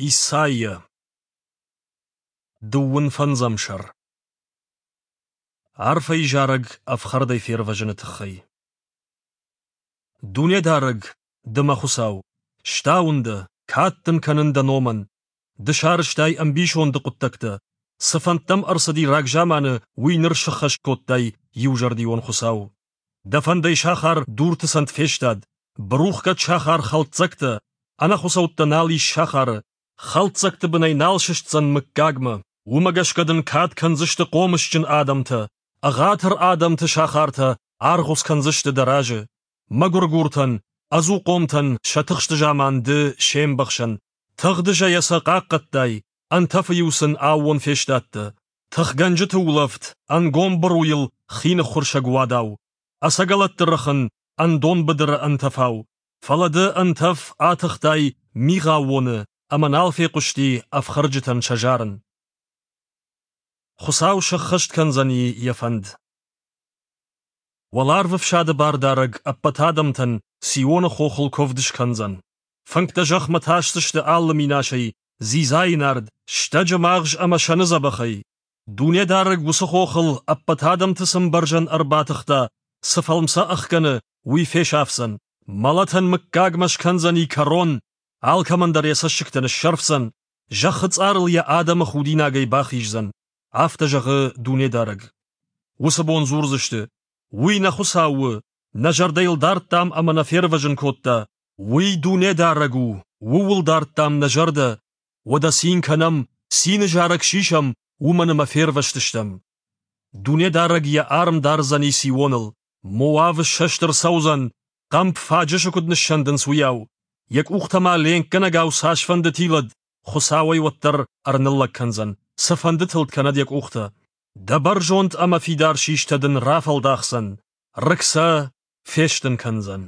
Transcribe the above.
Исайя. Дыууын фӕндзӕм сӕр. Арфӕйы зарӕг ӕфхӕрдӕй фервӕзыны тыххӕй. Дунедарӕг, ды мӕ Хуыцау, стауын дӕ, кад дын кӕнын дӕ номӕн. Ды сарӕзтай ӕмбисонды хъуыддӕгтӕ. Цы фӕндтӕм ӕрцыди рагзаманы, уый ныр сыххӕст кодтай, иузӕрдион Хуыцау. Дӕ фӕндӕй сахар дурты цӕнд фестад, бырухгӕд сахар хӕлддзӕгтӕ, ӕнӕхуыцӕуттӕ нал ис сахары, хӕлддзӕгты бынӕй нал сыстдзӕн мыггагмӕ. Уымӕ гӕсгӕ дын кад кӕндзысты хъомысджын адӕмтӕ, ӕгъатыр адӕмты сахартӕ аргъуыц кӕндзысты дӕ разы. Мӕгуыргуртӕн, ӕдзухъомтӕн сӕ тыхсты заман ды се мбӕхсӕн. Тыгъдызӕйӕ сӕ хъахъхъӕдтай, ӕнтӕфы-иу сын аууон фестадтӕ. Тыхгӕнджыты улӕфт, ӕнгом быруйыл хи ныххуырсӕг уадау. Ӕцӕгӕлӕтты рыхын, ӕндон быдыры ӕнтӕфау. Фӕлӕ ды ӕнтӕф атыхтай мигъаууоны, ӕмӕ нал фехъуысти ӕфхӕрджытӕн сӕ зарын. Хуыцау сӕххӕст кӕндзӕни йӕ фӕнд. Уӕларвы фсады бардарӕг ӕппӕт адӕмтӕн Сионы хохыл куывд скӕндзӕн. Фынгтӕ зӕхмӕ тасдзысты алы минасӕй, дзидзайы нард, стӕджы магъз ӕмӕ сӕны дзӕбӕхӕй. Дунедарӕг уыцы хохыл ӕппӕт адӕмты цы мбӕрзӕн ӕрбатыхта, цы фӕлм сӕ ӕхгӕны, уый фесафдзӕн. Мӕлӕтӕн мыггагмӕ скӕндзӕни кӕрон, алкӕмӕн дӕр йӕ цӕссыгтӕ ныссӕрфдзӕн, зӕххы цъарыл йӕ адӕмы худинагӕй бахиздзӕн. Афтӕ зӕгъы Дунедарӕг. Уыцы бон дзурдзысты: «Уый нӕ Хуыцау у, нӕ зӕрдӕ йыл дардтам ӕмӕ нӕ фервӕзын кодта. Уый Дунедарӕг у, ууыл дардтам нӕ зӕрдӕ. Уӕдӕ цин кӕнӕм, цины зарӕг сисӕм, уымӕн ӕмӕ фервӕзтыстӕм». Дунедарӕг йӕ арм дардзӕни Сионыл. Моавы ссӕст ӕрцӕудзӕн, хъӕмп фаджысы куыд ныссӕндынц, уыйау. Йӕ къухтӕ ма ленкгӕнӕгау цасфӕнды тилӕд, Хуыцау ӕй уӕддӕр ӕрныллӕг кӕндзӕн, цыфӕнды тылд кӕнӕд йӕ къухтӕ. Дӕ бӕрзонд ӕмӕ фидар систӕ дын рафӕлдахдзӕн, рыг сӕ фестын кӕндзӕн.